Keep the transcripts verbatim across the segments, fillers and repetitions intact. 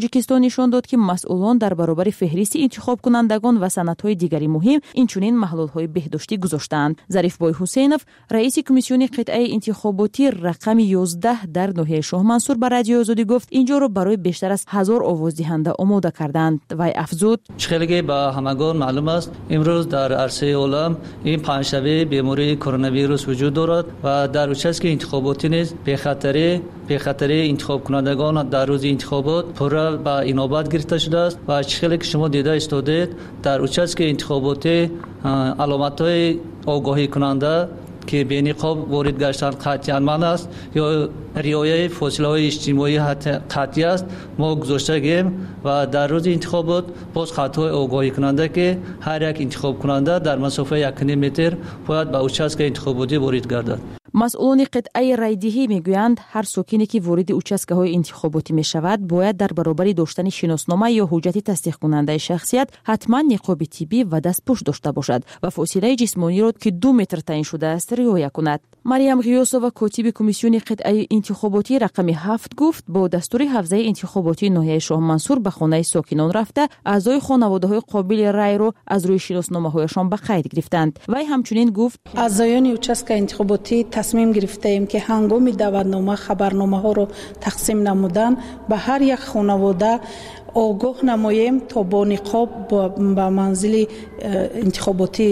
Тоҷикистон нишон дод, ки масъулон дар баробари феҳристи интихобкунандагон ва санадҳои дигари муҳим инчунин маҳлулҳои беҳдоштӣ гузоштаанд. Зарифбой Ҳусейнов, раиси комиссиони қитъаи интихоботӣ рақами ёздаҳ дар ноҳияи Шоҳмансур ба Радиои Озодӣ гуфт, инҷоро барои бештар аз ҳазор овоздиҳанда омода карданд. Вай афзуд: чӣ ба ҳамагон маълум аст, имрӯз дар арсаи олам ин паҳншавии бемории коронавирус вуҷуд дорад ва дар участки интихоботӣ низ бехатарӣ бехатарии интихобкунандагон дар рӯзи интихобот пурра ба инобат гирифта шудааст ва чӣ хеле ки шумо дида истодед, дар участки интихоботӣ аломатҳои огоҳикунанда ки бениқоб ворид гаштан қатъиян манъ аст ё риояи фосилаҳои иҷтимоӣ қатъӣ аст, мо гузоштагем ва дар рӯзи интихобот боз хатҳои огоҳикунанда ки ҳар як интихобкунанда дар масофаи як ним метр бояд ба участки интихоботӣ ворид гардад. Масъулони қитъаи райдиҳӣ мегӯянд, ҳар сокине ки вориди участкаҳои интихоботӣ мешавад, бояд дар баробари доштани шиноснома ё ҳуҷҷати тасдиқкунандаи шахсият ҳатман ниқоби тиббӣ ва дастпӯш дошта бошад ва фосилаи ҷисмониро, ки ду метр таъин шудааст, риоя кунад. Марьям Ғиёсова, котиби комиссиони қитъаи интихоботӣ рақами ҳафт, гуфт бо дастури ҳавзаи интихоботии ноҳияи Шоҳмансур ба хонаи сокинон рафта, аъзои хонаводаҳои қобили райро аз рӯи шиносномаҳояшон ба қайд гирифтанд. Вай ҳамчунин гуфт: аъзоёни участка интихоботӣ тасмим гирифтаем, ки ҳангоми даъватнома хабарномаҳоро тақсим намудан ба ҳар як хонавода огоҳ намоем, то бо ниқоб ба манзили интихоботӣ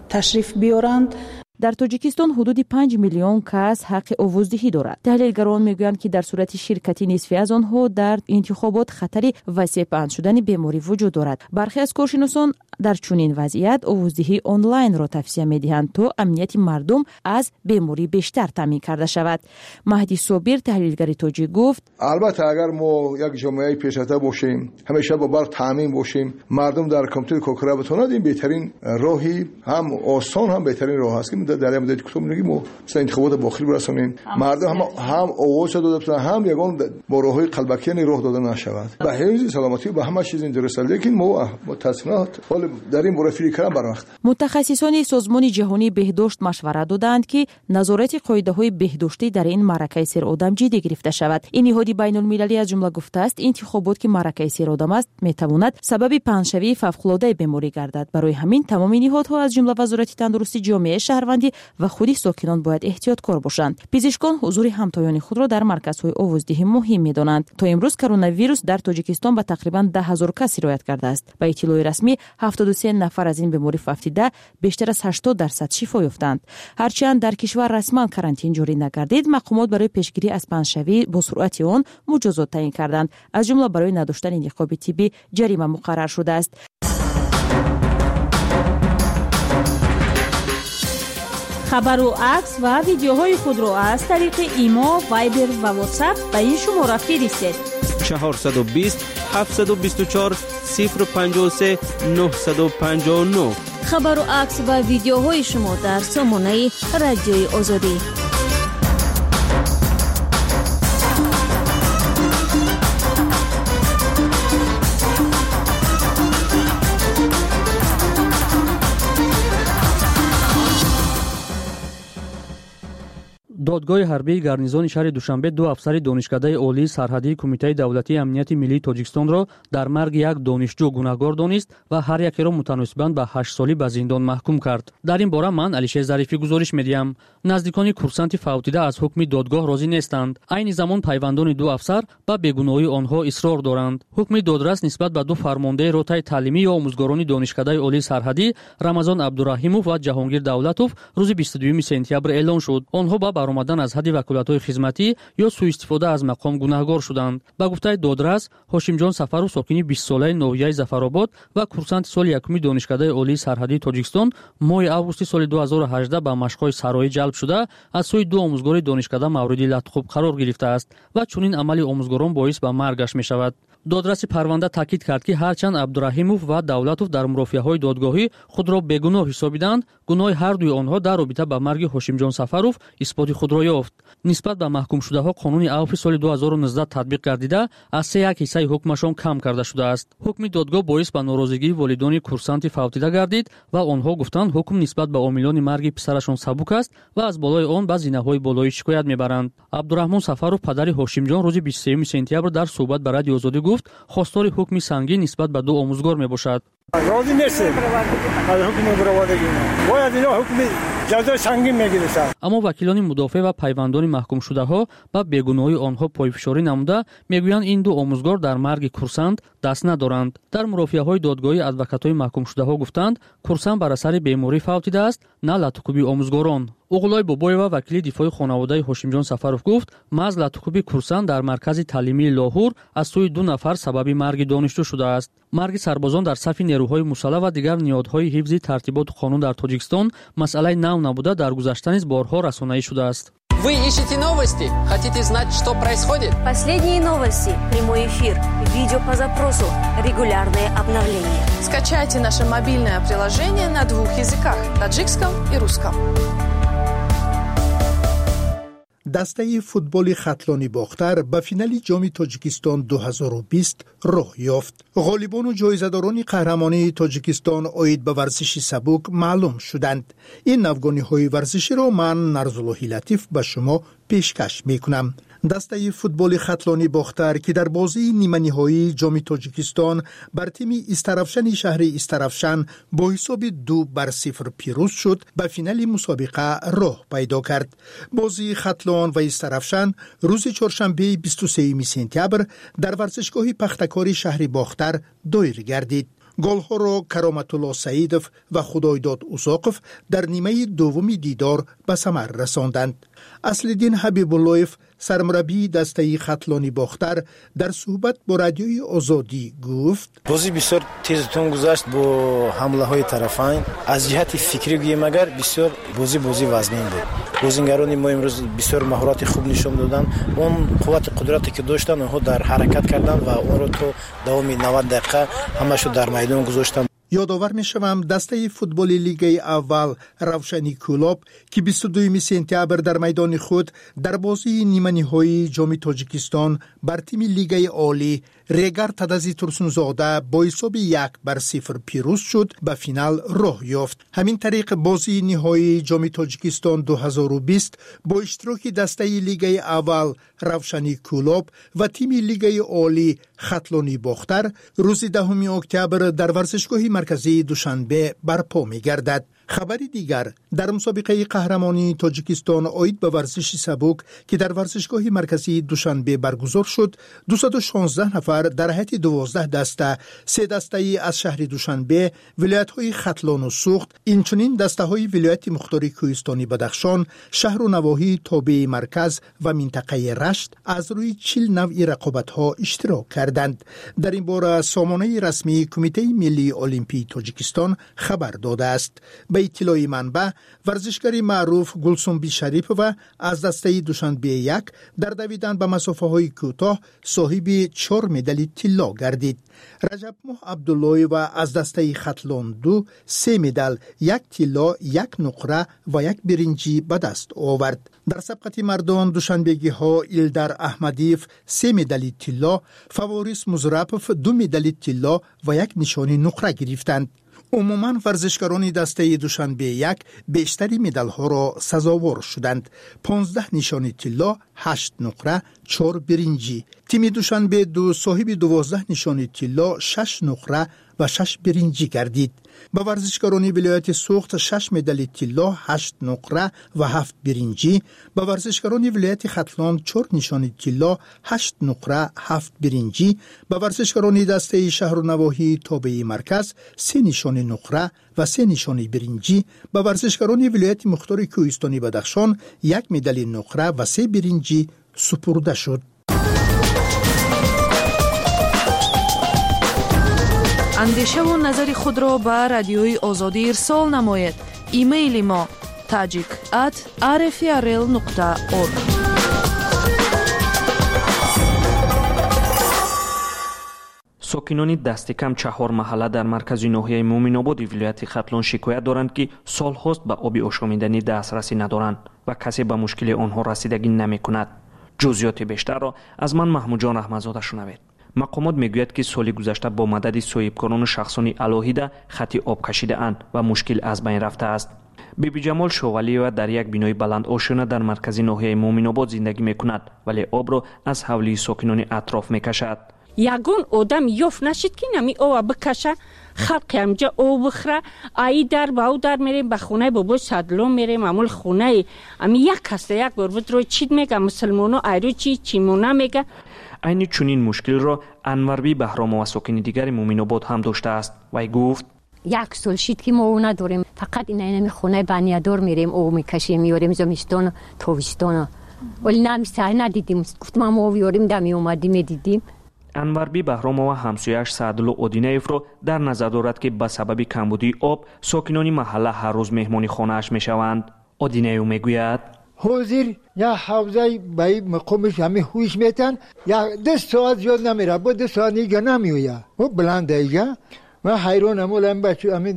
ташриф биёранд. Дар Тоҷикистон ҳудуди панҷ миллион кас ҳаққи овоздиҳӣ дорад. Таҳлилгарон мегӯянд, ки дар сурати ширкати нисфи аз онҳо дар интихобот хатари васеъ паҳн шудани беморӣ вуҷуд дорад. Бархе аз коршиносон дар чунин вазъият овоздиҳии онлайнро тавсия медиҳанд, то амнияти мардум аз беморӣ бештар таъмин карда шавад. Маҳди Собир, таҳлилгари тоҷик, гуфт: албатта агар мо як ҷомеаи пешрафта бошем, ҳамеша бо барқ таъмин бошем, мардум дар компютер кор карда битавонад, ин беҳтарин роҳи ҳам осон ҳам беҳтарин роҳ аст, ки дар як муддати кӯтоҳ мегӯем мо масалан интихоботро ба охир برسонем, мардум ҳам ҳам овоз дода битавонанд, ҳам ягон бо роҳҳои қалбакӣ роҳ дода нашавад. Ба ҳифзи саломатӣ ба ҳама чиз ин дуруст аст, лекин мо мутаассифона ҳол дар ин бора фикр кардан барвақт. Мутахассисони Созмони ҷаҳонии беҳдошт машварат додаанд, ки назорати қоидаҳои беҳдоштӣ дар ин маъракаи серодам ҷиддӣ гирифта шавад. Ин ниҳоди байнулмилалӣ аз ҷумла гуфтааст, интихобот ки маъракаи серодам аст, метавонад сабаби паҳншавии фавқулодаи беморӣ гардад. Барои ҳамин тамоми ниҳодҳо аз ҷумла Вазорати тандурустӣ, ҷомеаи шаҳрвандӣ ва худи сокинон бояд эҳтиёткор бошанд. Пизишкон ҳузури ҳамтоёни худро дар марказҳои овоздиҳӣ муҳим медонанд. То имрӯз коронавирус дар Тоҷикистон ба тақрибан даҳ ҳазор кас сироят кардааст. Ба иттилои расмӣ ҳафтоду се нафар аз ин беморӣ фавтида, бештар аз ҳаштод дарсад шифо ёфтанд. Ҳарчанд дар кишвар расман карантин ҷорӣ нагардид, мақомот барои пешгирӣ аз паҳншавӣ бо суръати он муҷозот таъин карданд. Аз ҷумла барои надоштани ниқоби тиббӣ ҷарима муқаррар шудааст. Хабару акс ва видеоҳои худро аз тариқи Имо, Вайбер ва Ватсап ба ин шумора фиристед: чорсаду бист, ҳафтсаду бисту чор, сифр панҷоҳу се, нӯҳсаду панҷоҳу нӯҳ. Хабару акс ва видеоҳои шумо дар сомонаи Радиои Озодӣ. Додгоҳи ҳарбии гарнизони шаҳри Душанбе ду афсари донишкадаи олии сарҳадии Кумитаи давлатии амнияти миллии Тоҷикистонро дар марги як донишҷӯ гунаҳгор донист ва ҳар якеро мутаносибан ба ҳашт солӣ ба зиндон маҳкум кард. Дар ин бора ман Алишер Зарифӣ гузориш медиҳам. Наздикони курсанти фавтида аз ҳукми додгоҳ розӣ нестанд. Айни замон пайвандони ду афсар ба бегуноҳии онҳо исрор доранд. Ҳукми додрас нисбат ба ду фармондаи ротаи таълимӣ ё омӯзгорони донишкадаи олии сарҳадӣ Рамазон Абдураҳимов ва Ҷаҳонгир Давлатов рӯзи бисту дуюми сентябр эълон шуд. Онҳо ба баромадан аз ҳадди ваколатҳои хизматӣ ё суистифода аз мақом гунаҳгор шуданд. Ба гуфтаи додрас, Ҳошимҷон Сафаров сокини бистсолаи ноҳияи Зафаробод ва курсанти соли якуми донишкадаи олии сарҳадии Тоҷикистон моҳи августи соли ду ҳазору ҳаждаҳ ба машқҳои сароӣ ҷалб шуда, аз сӯи ду омӯзгори донишкада мавриди латхуб қарор гирифтааст ва чунин амали омӯзгорон боис ба маргаш мешавад. Додраси парванда таъкид кард, ки ҳарчанд Абдураҳимов ва Давлатов дар мурофиаҳои додгоҳӣ худро бегуноҳ ҳисобиданд, гуноҳи ҳар дуи онҳо дар робита ба марги Ҳошимҷон Сафаров исботи худро ёфт. Нисбат ба маҳкумшудаҳо қонуни авфи соли ду ҳазору нуздаҳ татбиқ гардида, аз се як ҳиссаи ҳукмашон кам карда шудааст. Ҳукми додгоҳ боис ба норозигии волидони курсанти фавтида гардид ва онҳо гуфтанд, ҳукм нисбат ба омилони марги писарашон сабук аст ва аз болои он ба зинаҳои болоӣ шикоят мебаранд. Абдураҳмон Сафаров, падари Ҳошимҷон, рӯзи бисту сеюми сентябр дар суҳбат ба Радиои Озодӣ гуфт, гуфт, хостори ҳукми сангин нисбат ба ду омӯзгор мебошад. Розӣ нестем аз ҳукми баровардагӣ. Бояд ино ҳукми ҷазои сангин мегирифтанд. Аммо вакилони мудофеъ ва пайвандони маҳкумшудаҳо ба бегуноҳии онҳо пойфишорӣ намуда мегӯянд, ин ду омӯзгор дар марги курсант даст надоранд. Дар мурофиаҳои додгоҳӣ адвокатҳои маҳкумшудаҳо гуфтанд, курсант бар асари беморӣ фавтидааст, на латукӯби омӯзгорон. Уғлой Бобоева, вакили дифои хонаводаи Ҳошимҷон Сафаров, гуфт, маҳз латукӯби курсант дар маркази таълимии Лоҳур аз сӯи ду нафар сабаби марги донишҷӯ шудааст. Марги сарбозон дар сафи нерӯҳои мусаллаҳ ва дигар ниҳодҳои ҳифзи тартиботу қонун дар Тоҷикистон масъалаи нав набуда, дар гузашта низ борҳо расонаӣ шудааст. Вы ищете новости? Хотите знать, что происходит? Последние новости, прямой эфир, видео по запросу, регулярные обновления. Скачайте наше мобильное приложение на двух языках – таджикском и русском. Дастаи футболи Хатлони Бохтар ба финали ҷоми Тоҷикистон ду ҳазору бист роҳ ёфт. Ғолибону ҷоизадорони қаҳрамонии Тоҷикистон оид ба варзиши сабук маълум шуданд. Ин навгониҳои варзиширо ман, Нарзуллоҳи Латиф, ба шумо пешкаш мекунам. Дастаи футболи Хатлони Бохтар, ки дар бозии ниманиҳоии ҷоми Тоҷикистон бар тими Истаравшани шаҳри Истаравшан бо ҳисоби ду бар сифр пирӯз шуд, ба финали мусобиқа роҳ пайдо кард. Бозии Хатлон ва Истаравшан рӯзи чоршанбеи бисту сеюми сентябр дар варзишгоҳи Пахтакори шаҳри Бохтар доир гардид. Голҳоро Кароматулло Саидов ва Худойдод Узоқов дар нимаи дуввуми дидор ба самар расонданд. Аслиддин Ҳабибуллоев, сармураббии дастаи Хатлони Бохтар, дар суҳбат бо Радиои Озодӣ гуфт: бозӣ бисёр тезутун гузашт бо ҳамлаҳои тарафайн. Аз ҷиҳати фикрӣ гӯем агар, бисёр бозӣ бозӣ вазнин буд. Бозингарони мо имрӯз бисёр маҳорати хуб нишон доданд. Он қуввати қудрате ки доштанд, онҳо дар ҳаракат карданд ва онро то давоми навад дақиқа ҳамашо дар майдон гузоштанд. Ёдовар мешавам, дастаи футболи лигаи аввал Равшани Кӯлоб, ки бисту дуюми сентябр дар майдони худ дар бозии ниманиҳоии ҷоми Тоҷикистон бар тими лигаи олӣ Регар Тадази Турсунзода бо ҳисоби як бар сифр пирӯз шуд, ба финал роҳ ёфт. Ҳамин тариқ бозии ниҳоии ҷоми Тоҷикистон ду ҳазору бист бо иштироки дастаи лигаи аввал Равшани Кӯлоб ва тими лигаи олӣ Хатлони Бохтар рӯзи даҳуми октябр дар варзишгоҳи марказии Душанбе барпо мегардад. Хабари дигар: дар мусобиқаи қаҳрамонии Тоҷикистон оид ба варзиши сабук, ки дар варзишгоҳи марказии Душанбе баргузор шуд, дусаду шонздаҳ нафар дар ҳайати дувоздаҳ даста, се дастаи аз шаҳри Душанбе, вилоятҳои Хатлону Суғд, инчунин дастаҳои вилояти мухтори Кӯҳистони Бадахшон, шаҳру навоҳии тобеи марказ ва минтақаи Рашт аз рӯи чил навъи рақобатҳо иштирок карданд. Дар ин бора сомонаи расмии Кумитаи миллии Олимпии Тоҷикистон хабар додааст. Ба иттилои манбаъ, варзишгари маъруф Гулсумби Шарипова аз дастаи Душанбе як дар давидан ба масофаҳои кӯтоҳ соҳиби чор медали тилло гардид. Раҷабмоҳ Абдуллоева аз дастаи Хатлон ду се медал, як тилло, як нуқра ва як биринҷӣ ба даст овард. Дар сабқати мардон душанбегиҳо Илдар Аҳмадиев се медали тилло, Фаворис Музрапов ду медали тилло ва як нишони нуқра гирифтанд. Умуман варзишгарони дастаи Душанбе як бештари медалҳоро сазовор шуданд: понздаҳ нишони тилло, ҳашт нуқра, чор биринҷӣ. Тими Душанбе ду соҳиби дувоздаҳ нишони тилло, шаш нуқра ва шаш биринҷӣ гардид. Ба варзишгарони вилояти Суғд шаш медали тилло, ҳашт нуқра ва ҳафт биринҷӣ, ба варзишгарони вилояти Хатлон чор нишони тилло, ҳашт нуқра, ҳафт биринҷӣ, ба варзишгарони дастаи шаҳру навоҳии тобеи марказ се нишони нуқра ва се нишони биринҷӣ, ба варзишгарони вилояти мухтори Кӯҳистони Бадахшон як медали нуқра ва се биринҷӣ супурда шуд. Андешаву назари худро ба Радиои Озодӣ ирсол намоед. Имейли мо tajik at rfrl нуқта org. Сокинони дасти кам чаҳор маҳалла дар маркази ноҳияи Муъминободи вилояти Хатлон шикоят доранд, ки солҳост ба оби ошомиданӣ дастрасӣ надоранд ва касе ба мушкили онҳо расидагӣ намекунад. Ҷузъиёти бештарро аз ман Маҳмудҷон Раҳматзода шунавед. Мақомот мегӯяд, ки соли гузашта бо мадади соҳибкорону шахсони алоҳида хати об кашидаанд ва мушкил аз байн рафтааст. Бибиҷамол Шовалиева дар як бинои баландошёна дар маркази ноҳияи Муъминобод зиндагӣ мекунад, вале обро аз ҳавлии сокинони атроф мекашад. Ягон одам ёфт нашид, ки нами ова бикаша, халқи ҳамҷа об бихӯра. Аи дар ба ӯ дар мерем, ба хонаи бобои Садло мерем, амул хонаи ами як каста як бор бидро чид мега, мусулмоно айрӯ чи чимона мега. Айни чунин мушкилро Анварби Баҳромова, сокини дигари Муъминобод, ҳам доштааст. Вай гуфт: Як сол шид, ки мо об надорем. Фақат ина хонаи Баниядор мерем, об мекашем, меорем зимистону тобистону. Вале намиса надидим. Гуфтам, мо об ёрем, да меомадим, медидим. Анварби Баҳромова ҳамсояаш Саъдулло Одинаевро дар назар дорад, ки ба сабаби камбудии об сокинони маҳалла ҳар рӯз меҳмони хонааш мешаванд. Одинаев мегӯяд: Ҳозир як ҳавзаи ба мақомиш ҳами ҳуш метан, як ду соат зиёд намера, бо ду соат ига намеоя. О баланда ига. Ман ҳайронам, олам бачу ами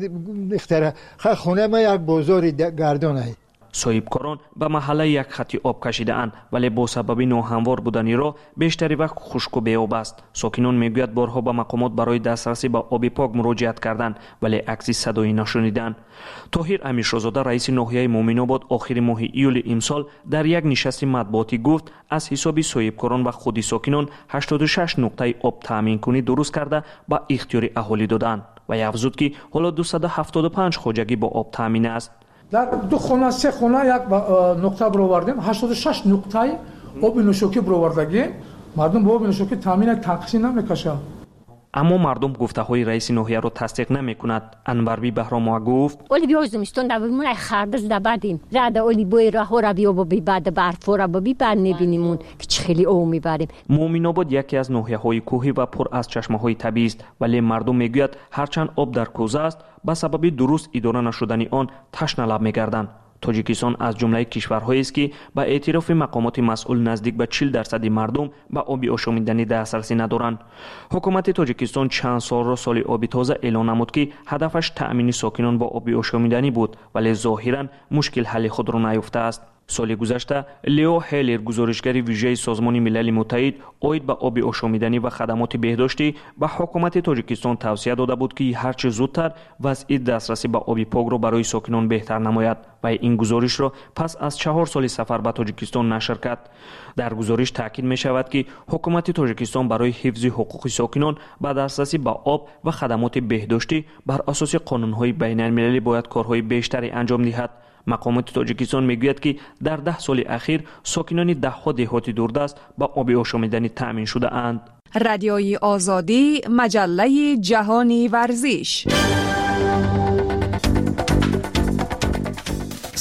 ихтара. Хонаи ма як бозори гардонай. Соҳибкорон ба маҳалла як хати об кашидаанд, вале бо сабаби ноҳамвор будани роҳ бештари вақт хушку беоб аст. Сокинон мегӯяд, борҳо ба мақомот барои дастрасӣ ба оби пок муроҷиат карданд, вале акси садоӣ нашуниданд. Тоҳир Амиршозода, раиси ноҳияи Муъминобод, охири моҳи июли имсол дар як нишасти матбуотӣ гуфт, аз ҳисоби соҳибкорон ва худи сокинон ҳаштоду шаш нуқтаи об таъминкунӣ дуруст карда ба ихтиёри аҳолӣ доданд ва афзуд, ки ҳоло дусаду ҳафтоду панҷ хоҷагӣ бо об таъмин аст. Дар ду хона, се хона як нуқта баровардем, ҳаштоду шаш нуқтаи оби нӯшокӣ баровардагӣ. Мардум бо оби нӯшокӣ таъмин танқисӣ намекашад. Аммо мардум гуфтаҳои раиси ноҳияро тасдиқ намекунад. Анварби Баҳромова гуфт: Оли биё зимистон да бимон, ай хардаз да бадим. Рада оли бои раҳора биё боби бад барфора боби бад мебинимун, ки чӣ хеле об мебарем. Муъминобод яке аз ноҳияҳои кӯҳӣ ва пур аз чашмаҳои табиист, вале мардум мегӯяд, ҳарчанд об дар кӯза аст, ба сабаби дуруст идора нашудани он ташналаб мегарданд. Тоҷикистон аз ҷумлаи кишварҳоест, ки ба эътирофи мақомоти масъул наздик ба чил дарсади мардум ба оби ошомиданӣ дастрасӣ надоранд. Ҳукумати Тоҷикистон чанд солро соли оби тоза эълон намуд, ки ҳадафаш таъмини сокинон бо оби ошомиданӣ буд, вале зоҳиран мушкил ҳалли худро наёфтааст. Соли гузашта Лео Ҳеллер, гузоришгари вижаи Созмони Милали Муттаҳид оид ба оби ошомиданӣ ва хадамоти беҳдоштӣ, ба ҳукумати Тоҷикистон тавсия дода буд, ки ҳарчи зудтар вазъи дастрасӣ ба оби покро барои сокинон беҳтар намояд ва ин гузоришро пас аз чаҳор соли сафар ба Тоҷикистон нашр кард. Дар гузориш таъкид мешавад, ки ҳукумати Тоҷикистон барои ҳифзи ҳуқуқи сокинон ба дастрасӣ ба об ва хадамоти беҳдоштӣ бар асоси қонунҳои байналмилалӣ бояд корҳои бештаре анҷом диҳад. Мақомоти Тоҷикистон мегӯяд, ки дар даҳ соли ахир сокинони даҳҳо деҳоти дурдаст ба оби ошомиданӣ таъмин шудаанд. Радиои Озодӣ, маҷаллаи ҷаҳони варзиш.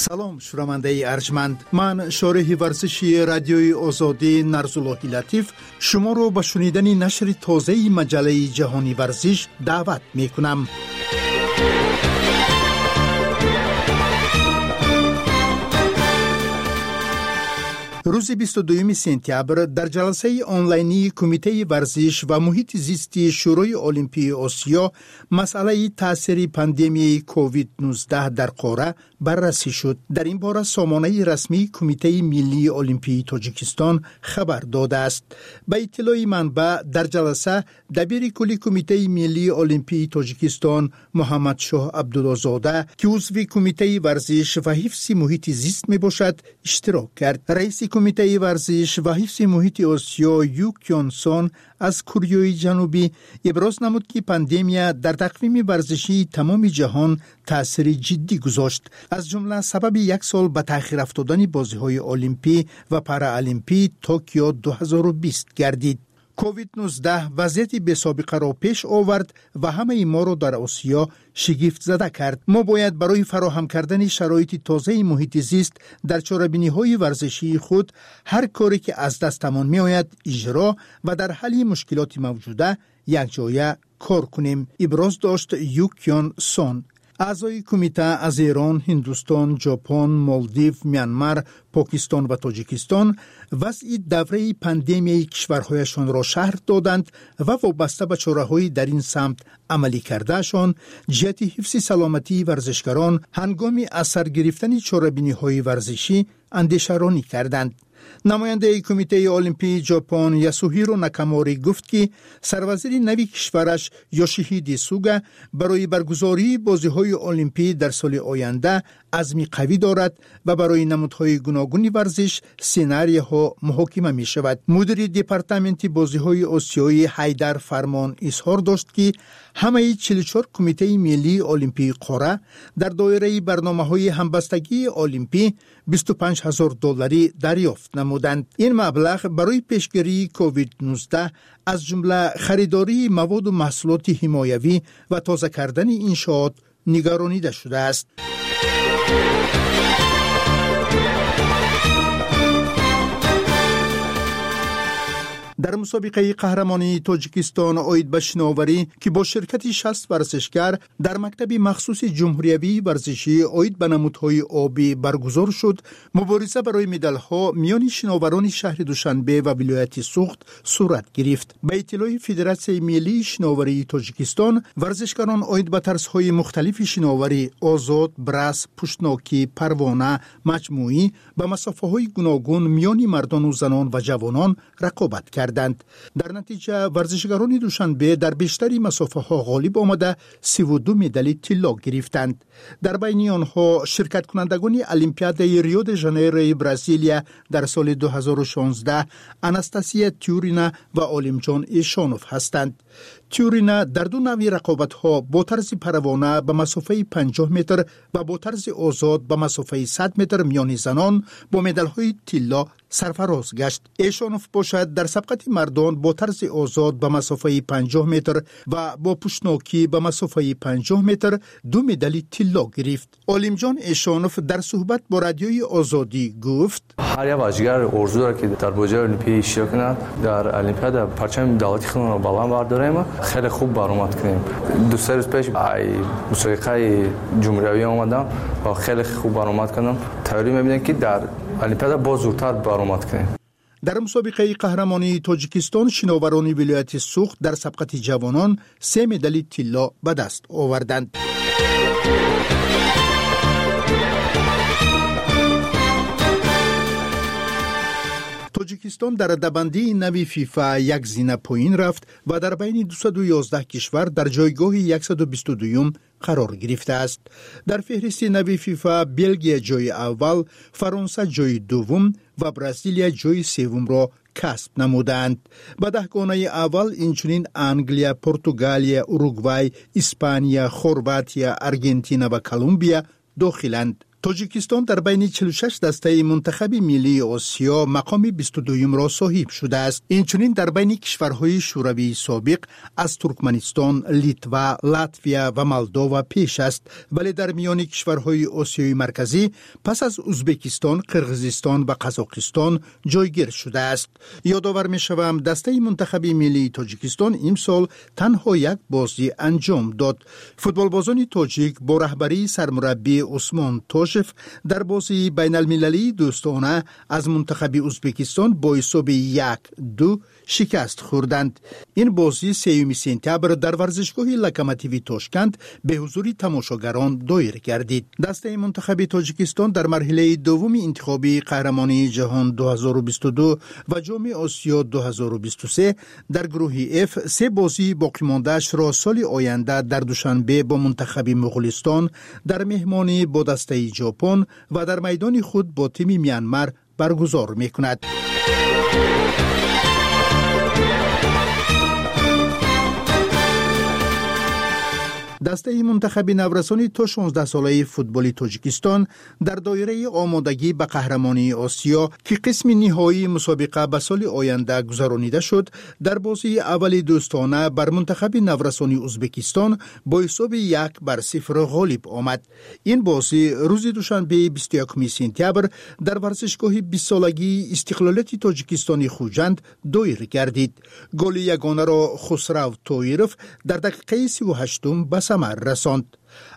Салом, шунавандаи арҷманд. Ман, шореҳи варзиши Радиои Озодӣ Нарзуллоҳи Латиф, шуморо ба шунидани нашри тозаи маҷаллаи ҷаҳони варзиш даъват мекунам. Рӯзи бисту дуюми сентябр дар ҷаласаи онлайнии Кумитаи варзиш ва муҳити зисти Шӯрои Олимпии Осиё масъалаи таъсири пандемияи ковид нуздаҳ дар қора баррасӣ шуд. Дар ин бора сомонаи расмии Кумитаи миллии Олимпии Тоҷикистон хабар додааст. Ба иттилои манбаъ, дар ҷаласа дабири кулли Кумитаи миллии Олимпии Тоҷикистон Муҳаммадшоҳ Абдуллозода, ки узви Кумитаи варзиш ва ҳифзи муҳити зист мебошад, иштирок кард. Раиси Кумитаи варзиш ва ҳифзи муҳити Осиё Ю Кёнсон аз Кореяи Ҷанубӣ иброз намуд, ки пандемия дар тақвими варзишии тамоми ҷаҳон таъсири ҷиддӣ гузошт, аз ҷумла сабаби як сол ба таъхир афтодани бозиҳои олимпӣ ва параолимпии Токио ду ҳазору бист гардид. ковид нуздаҳ вазъияти бесобиқаро пеш овард ва ҳамаи моро дар Осиё шигифтзада кард. Мо бояд барои фароҳам кардани шароити тозаи муҳити зист дар чорабиниҳои варзишии худ ҳар коре ки аз дастамон меояд иҷро ва дар ҳалли мушкилоти мавҷуда якҷоя кор кунем, иброз дошт Ю Кён Сон. Аъзои кумита аз Эрон, Ҳиндустон, Ҷопон, Молдив, Мянмар, Покистон ва Тоҷикистон вазъи давраи пандемияи кишварҳояшонро шарҳ доданд ва вобаста ба чораҳои дар ин самт амалӣ кардаашон ҷиҳати ҳифзи саломатии варзишгарон ҳангоми аз сар гирифтани чорабиниҳои варзишӣ андешаронӣ карданд. Намояндаи Кумитаи Олимпии Ҷопон Ясуҳиро Накамори гуфт, ки сарвазири нави кишвараш Ёшиҳиде Суга барои баргузории бозиҳои олимпӣ дар соли оянда азми қавӣ дорад ва барои намудҳои гуногуни варзиш сценарияҳо муҳокима мешавад. Мудири департаменти бозиҳои осиёӣ Ҳайдар Фармон изҳор дошт, ки ҳамаи чилу чор кумитаи миллии олимпии қора дар доираи барномаҳои ҳамбастагии олимпӣ бисту панҷ ҳазор долларӣ дарёфт намуданд. Ин маблағ барои пешгирии ковид нуздаҳ аз ҷумла харидории маводу маҳсулоти ҳимоявӣ ва тоза кардани иншоот нигаронида шудааст. Дар мусобиқаи қаҳрамонии Тоҷикистон оид ба шиноварӣ, ки бо ширкати шаст варзишгар дар мактаби махсуси ҷумҳуриявии варзишӣ оид ба намудҳои обӣ баргузор шуд, мубориза барои медалҳо миёни шиноварони шаҳри Душанбе ва вилояти Суғд сурат гирифт. Ба иттилои Федератсияи миллии шиноварии Тоҷикистон, варзишгарон оид ба тарзҳои мухталифи шиноварӣ озод, брас, пуштнокӣ, парвона, маҷмӯӣ ба масофаҳои гуногун миёни мардону занон ва ҷавонон рақобат карданд. Дар натиҷа варзишгарони Душанбе дар бештари масофаҳо ғолиб омада сиву ду медали тилло гирифтанд. Дар байни онҳо ширкаткунандагони Олимпиадаи Рио де Жанейрои Бразилия дар соли ду ҳазору шонздаҳ Анастасия Тюрина ва Олимҷон Эшонов ҳастанд. Тюрина дар ду навъи рақобатҳо бо тарзи парвона ба масофаи панҷоҳ метр ва бо тарзи озод ба масофаи сад метр миёни занон бо медалҳои тилло сарфароз гашт. Эшонов бошад дар сабқати мардон бо тарзи озод ба масофаи панҷоҳ метр ва бо пуштнокӣ ба масофаи панҷоҳ метр ду медали тилло гирифт. Олимҷон Эшонов дар суҳбат бо радиои Озодӣ гуфт: ҳар як варзишгар орзу дорад, ки дар бозиҳои олимпӣ иштирок кунад, дар олимпиада парчами давлати худро баланд бардорем, хеле хуб баромад кунем. Ду се рӯз пеш ай мусобиқаи ҷумҳуриявӣ омадам ва хеле хуб баромад кардам. Тайёрӣ мебинем, ки дар олимпиада боз зудтар баромад кунем. Дар мусобиқаи қаҳрамонии Тоҷикистон шиноварони вилояти Суғд дар сабқати ҷавонон се медали тилло ба даст оварданд. Тоҷикистон дар радабандии нави ФИФА як зина поин рафт ва дар байни дусаду ёздаҳ кишвар дар ҷойгоҳи яксаду бисту дуюм қарор гирифтааст. Дар феҳристи нави ФИФА Белгия ҷойи аввал, Фаронса ҷойи дуввум ва Бразилия ҷойи севумро касб намудаанд. Ба даҳгонаи аввал инчунин Англия, Португалия, Уругвай, Испания, Хорватия, Аргентина ва Колумбия дохиланд. Тоҷикистон дар байни чилу шаш дастаи мунтахаби миллии Осиё мақоми бисту дуюмро соҳиб шудааст. Инчунин дар байни кишварҳои шӯравии собиқ аз Туркманистон, Литва, Латвия ва Молдова пеш аст, вале дар миёни кишварҳои Осиёи Марказӣ пас аз Узбекистон, Қирғизистон ва Қазоқистон ҷойгир шудааст. Ёдовар мешавам, дастаи мунтахаби миллии Тоҷикистон имсол танҳо як бозӣ анҷом дод. Футболбозони тоҷик бо раҳбарии сармураббӣ Усмон Тош дар бозии байналмилалии дӯстона аз мунтахаби Узбекистон бо ҳисоби як ду шикаст хӯрданд. Ин бозӣ сеюми сентябр дар варзишгоҳи Локомотиви Тошканд бе ҳузури тамошогарон доир гардид. Дастаи мунтахаби Тоҷикистон дар марҳилаи дуввуми интихобии қаҳрамонии ҷаҳон ду ҳазору бисту ду ва ҷоми Осиё ду ҳазору бисту се дар гурӯҳи Ф се бозии боқимондаашро соли оянда дар Душанбе бо мунтахаби Муғулистон, дар меҳмонӣ бо дастаи Ҷопон ва дар майдони худ бо тими Мянмар баргузор мекунад. Дастаи мунтахаби наврасони то шонздаҳсолаи футболи Тоҷикистон дар доираи омодагӣ ба қаҳрамонии Осиё, ки қисми ниҳоии мусобиқа ба соли оянда гузаронида шуд, дар бозии аввали дӯстона бар мунтахаби наврасони Узбекистон бо ҳисоби як бар сифр ғолиб омад. Ин бозӣ рӯзи душанбеи бисту якуми сентябр дар варзишгоҳи бистсолагии истиқлолияти Тоҷикистони Хуҷанд доир гардид. Голи ягонаро Хусрав Тоиров дар дақиқаи сиву ҳаштум ба самар расонд.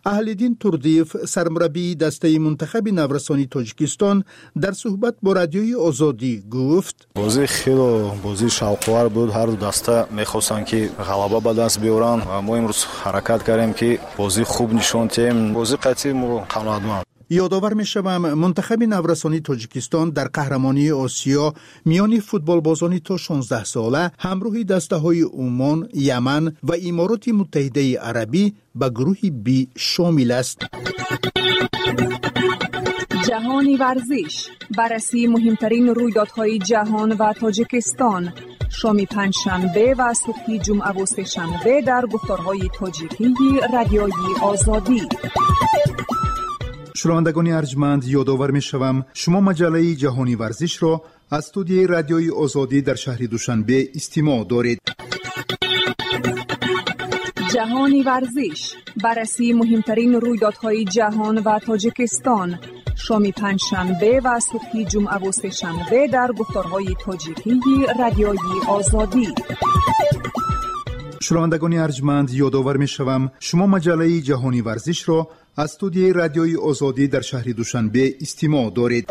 Аҳлиддин Турдиев, сармураббии дастаи мунтахаби наврасони Тоҷикистон, дар суҳбат бо радиои Озодӣ гуфт: бозӣ хеле бозии шавқовар буд. Ҳар ду даста мехостанд, ки ғалаба ба даст биёранд ва мо имрӯз ҳаракат кардем, ки бозӣ хуб нишон диҳем. Бозӣ қатъи мо қаноатманд. Ёдовар мешавам, мунтахаби наврасони Тоҷикистон дар қаҳрамонии Осиё миёни футболбозони то шонздаҳсола ҳамроҳи дастаҳои Умон, Яман ва Имороти Муттаҳидаи Арабӣ ба гурӯҳи Б шомил аст. Ҷаҳони варзиш, баррасии муҳимтарин рӯйдодҳои ҷаҳон ва Тоҷикистон. Шоми панҷшанбе ва субҳи ҷумъаву сешанбе дар гуфторҳои тоҷикии Радиои Озодӣ. Шунавандагони арҷманд, ёдовар мешавам, шумо маҷаллаи ҷаҳони варзишро аз студияи Радиои Озодӣ дар шаҳри Душанбе истимоъ доред. Ҷаҳони варзиш, баррасии муҳимтарин рӯйдодҳои ҷаҳон ва Тоҷикистон. Шоми панҷшанбе ва субҳи ҷумъаву сешанбе дар гуфторҳои тоҷикии Радиои Озодӣ. Шунавандагони арҷманд, ёдовар мешавам, шумо маҷаллаи ҷаҳони варзишро аз студияи Радиои Озодӣ дар шаҳри Душанбе истимоъ доред.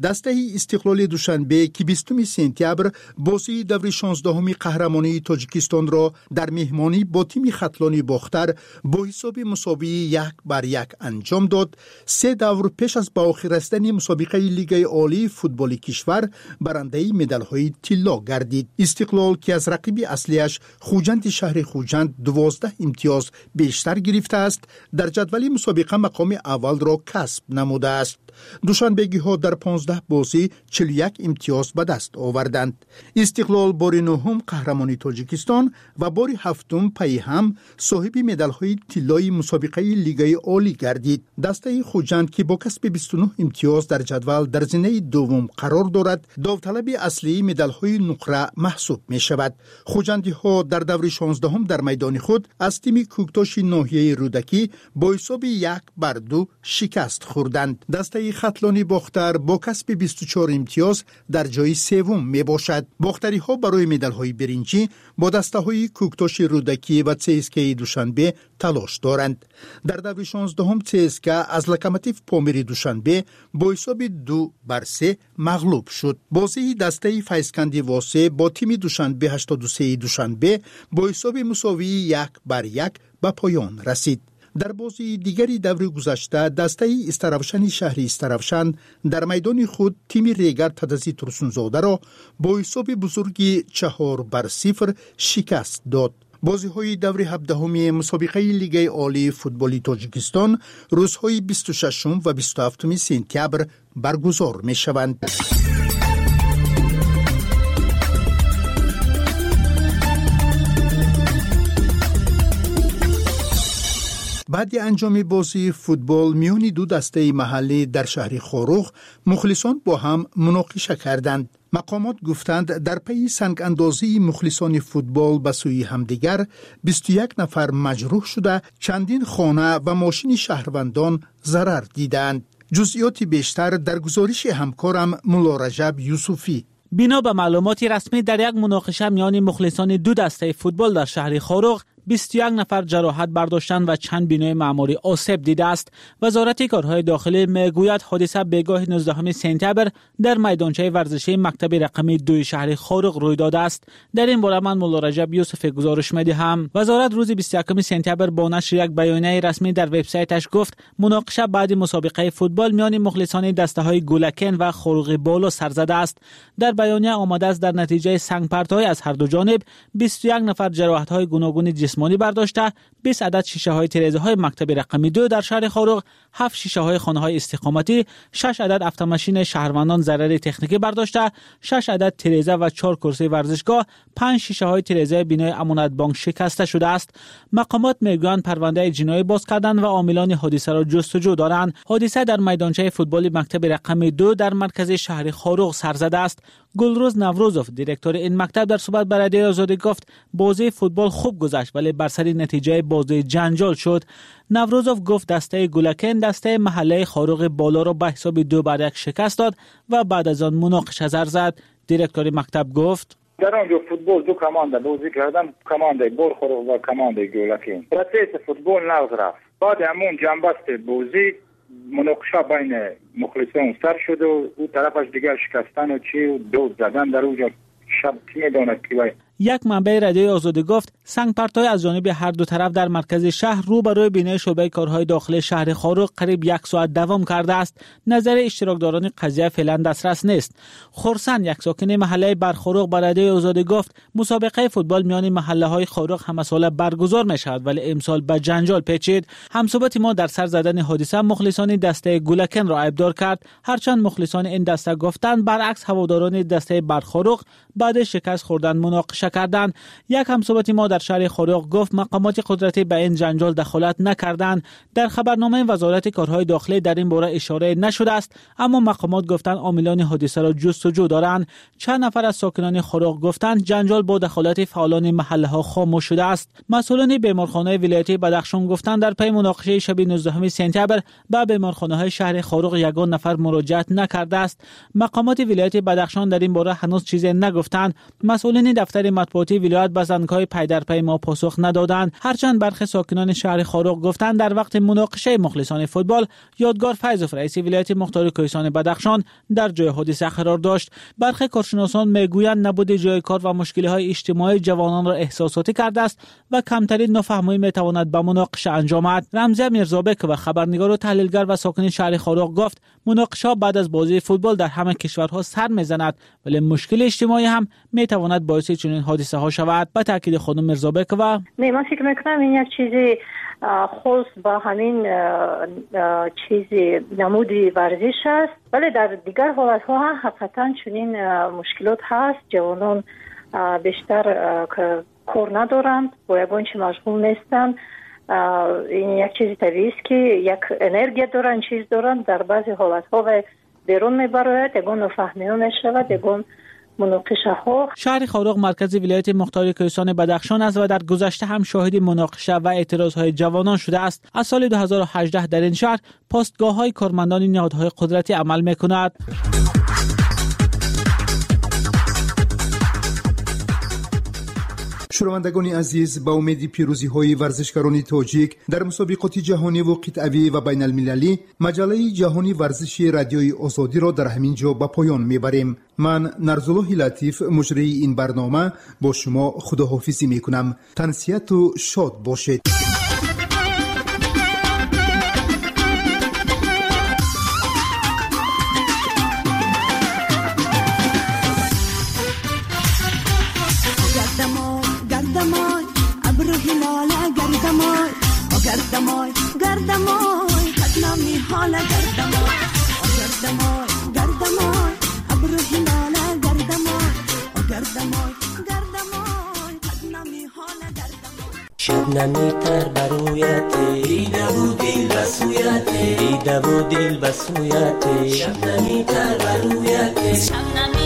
Дастаи Истиқлоли Душанбе, ки бистуми сентябр бозии даври шонздаҳуми қаҳрамонии Тоҷикистонро дар меҳмонӣ бо тими Хатлони Бохтар бо ҳисоби мусовии як бар як анҷом дод, се давр пеш аз ба охир расидани мусобиқаи Лигаи олии футболи кишвар барандаи медалҳои тилло гардид. Истиқлол, ки аз рақиби аслиаш Хуҷанди шаҳри Хуҷанд дувоздаҳ имтиёз бештар гирифтааст, дар ҷадвали мусобиқа мақоми аввалро касб намудааст. Душанбегиҳо дар понздаҳ бозӣ чилу як имтиёз ба даст оварданд. Истиқлол бори нуҳум қаҳрамони Тоҷикистон ва бори ҳафтум пайи ҳам соҳиби медалҳои тиллои мусобиқаи Лигаи олӣ гардид. Дастаи Хуҷанд, ки бо касби бисту нуҳ имтиёз дар ҷадвал дар зинаи дуввум қарор дорад, довталаби аслии медалҳои нуқра маҳсуб мешавад. Хуҷандиҳо дар даври шонздаҳум дар майдони худ аз тими Кӯктоши ноҳияи Рӯдакӣ бо ҳисоби як бар ду шикаст хӯрданд. Дастаи Хатлони Бохтар бо касби бисту чор имтиёз дар ҷои севум мебошад. Бохтариҳо барои медалҳои биринҷӣ бо дастаҳои Кӯктоши Рӯдакӣ ва ЦСКАи Душанбе талош доранд. Дар даври шонздаҳум ЦСКА аз Локомотив Помири Душанбе бо ҳисоби ду бар се мағлуб шуд. Бозии дастаи Файзканди Восе бо тими Душанбе ҳаштоду сеи Душанбе бо ҳисоби мусовии як бар як ба поён расид. Дар бозии дигари даври гузашта дастаи Истаравшани шаҳри Истаравшан дар майдони худ тими Регар Тадази Турсунзодаро бо ҳисоби бузурги чаҳор бар сифр шикаст дод. Бозиҳои даври ҳабдаҳуми мусобиқаи Лигаи олии футболи Тоҷикистон рӯзҳои бисту шашум ва бисту ҳафтуми сентябр баргузор мешаванд. Баъди анҷоми бозии футбол миёни ду дастаи маҳаллӣ дар шаҳри Хоруғ мухлисон бо ҳам муноқиша карданд. Мақомот гуфтанд, дар пайи сангандозии мухлисони футбол ба сӯи ҳамдигар бисту як нафар маҷрӯҳ шуда, чандин хона ва мошини шаҳрвандон зарар дидаанд. Ҷузъиёти бештар дар гузориши ҳамкорам Муллораҷаб Юсуфӣ. Бино ба маълумоти расмӣ, дар як муноқиша миёни мухлисони ду дастаи футбол дар шаҳри Хоруғ бисту як нафар ҷароҳат бардоштанд ва чанд бинои маъмурӣ осеб дидааст. Вазорати корҳои дохилӣ мегӯяд, ҳодиса бегоҳи нуздаҳуми сентябр дар майдончаи варзишии мактаби рақами дуи шаҳри Хоруғ рӯй додааст. Дар ин бора ман Муллораҷаб Юсуфӣ гузориш медиҳам. Вазорат рӯзи бисту якуми сентябр бо нашри як баёнияи расмӣ дар вебсайташ гуфт, муноқиша баъди мусобиқаи футбол миёни мухлисони дастаҳои Гулакен ва Хоруғи Боло сар задааст. Дар баёния омадааст, дар натиҷаи сангпартоӣ аз ҳар ду ҷониб бисту як нафар ҷароҳатҳои гуногуни ҷисмонӣ бардошта, бист адад шишаҳои тирезаҳои мактаби рақами ду дар шаҳри Хоруғ, ҳафт шишаҳои хонаҳои истиқоматӣ, шаш адад автомашинаи шаҳрвандон зарари техникӣ бардошта, шаш адад тиреза ва чор курсии варзишгоҳ, панҷ шишаҳои тирезаи бинои Амонатбонк шикаста шудааст. Мақомот мегӯянд, парвандаи ҷиноӣ боз карданд ва омилони ҳодисаро ҷустуҷӯ доранд. Ҳодиса дар майдончаи футболи мактаби рақами ду дар маркази шаҳри Хоруғ сар задааст. Гулрӯз Наврӯзов, директори ин мактаб, дар суҳбат ба Радиои Озодӣ гуфт, бозии футбол хуб гузашт, вале бар сари натиҷаи бозӣ ҷанҷол шуд. Наврӯзов гуфт, дастаи Гулакен дастаи маҳаллаи Хоруғи Болоро ба ҳисоби ду бар як шикаст дод ва баъд аз он муноқиша сар зад. Директори мактаб гуфт: дар он ҷо футбол ду команда бозӣ карданд, командаи Борхоруғ ва командаи Гулакен. Процесси футбол нағз рафт. Баъди ҳамон ҷанбасти бозӣ муноқиша байни мухлисон сар шуду ӯ тарафаш дигар шикастану чи дод задан дар он ҷо шаб ки медонад ки вай. Як манбаи Радиои Озодӣ гуфт, Сангпартоӣ аз ҷониби ҳар ду тараф дар маркази шаҳр рӯбарӯи бинои шӯъбаи корҳои дохилии шаҳри Хоруғ қариб як соат давом кардааст. Назари иштирокдорони қазия феълан дастрас нест. Хурсанд, як сокини маҳаллаи Бархоруғ, ба Радиои Озодӣ гуфт мусобиқаи футбол миёни маҳаллаҳои Хоруғ ҳамасола баргузор мешавад, вале имсол ба ҷанҷол печид. Ҳамсӯҳбати мо дар сар задани ҳодиса мухлисони дастаи Гулакенро айбдор кард. Ҳарчанд мухлисони ин даста гуфтанд, баръакс ҳаводорони дастаи Бархоруғ баъд шикаст хӯрдан муноқиша карданд. Як ҳамсӯҳбати мо дар шаҳри Хоруғ гуфт мақомоти қудратӣ ба ин ҷанҷол дахолат накарданд. Дар хабарномаи вазорати корҳои дохилӣ дар ин бора ишора нашудааст, аммо мақомот гуфтанд омилони ҳодисаро ҷустуҷӯ доранд. Чанд нафар аз сокинони Хоруғ гуфтанд ҷанҷол бо дахолати фаъолони маҳаллаҳо хомӯш шудааст. Масъулони беморхонаи вилоятии Бадахшон гуфтанд дар пай муноқишаи шаби нуздаҳуми сентябр ба беморхонаҳои шаҳри Хоруғ ягон нафар муроҷиат накардааст. Мақомоти вилояти Бадахшон дар ин бора ҳанӯз чизе нагуфтанд. Масъулини дафтари матбуотии вилоят ба зангҳои пайдарпай мо посух надоданд. Ҳарчанд бархе сокинони шаҳри Хоруғ гуфтанд дар вақти муноқишаи мухлисони футбол Ёдгор Файзов, раиси вилояти мухтори кӯҳистони Бадахшон, дар ҷои ҳодиса қарор дошт. Бархе коршиносон мегӯянд набуди ҷои кор ва мушкилиҳои иҷтимоӣ ҷавононро эҳсосотӣ кардааст ва камтарин нофаҳмӣ метавонад ба муноқиша анҷомад. Рамзия Мирзобекова, хабарнигор ва таҳлилгар ва сокини шаҳри Хоруғ, гуфт муноқишаҳо баъд аз бозии футбол дар ҳама кишварҳо сар мезанад, вале мушкили иҷтимоӣ ҳам метавонад боиси чунин ҳодисаҳо шавад. Ба таъкиди хонум Мирзобекова, не, ман фикр мекунам ин як чизи хос ба ҳамин чизи намуди варзиш аст, вале дар дигар ҳолатҳо ҳам ҳақиқатан чунин мушкилот ҳаст. Ҷавонон бештар кор надоранд, бо ягон чи машғул нестанд. Ин як чизи табиист ки як энергия доранд, чиз доранд. Дар баъзе ҳолатҳо ва берун мебарояд, ягон нофаҳмиҳо мешавад, ягон муноқишаҳо. Шаҳри Хоруғ маркази вилояти мухтори кӯҳистони Бадахшон аст ва дар гузашта ҳам шоҳиди муноқиша ва эътирозҳои ҷавонон шудааст. Аз соли ду ҳазору ҳаждаҳ дар ин шаҳр постгоҳҳои кормандони ниҳодҳои қудратӣ амал мекунад. Шунавандагони азиз, ба умеди пирӯзиҳои варзишгарони тоҷик дар мусобиқоти ҷаҳониву қитъавӣ ва байналмилалӣ, маҷаллаи ҷаҳони варзиши Радиои Озодиро дар ҳамин ҷо ба поён мебарем. Ман Нарзуллоҳи Латиф, муҷрии ин барнома, бо шумо худоҳофизӣ мекунам. Тансиҳату шод бошед. گردمای گردمای قدنامی حالا گردمای گردمای گردمای ابرو هلاله گردمای گردمای گردمای قدنامی حالا گردمای شبنمی تر برویت دیده و دل بسویت دیده و دل بسویت شبنمی تر برویت.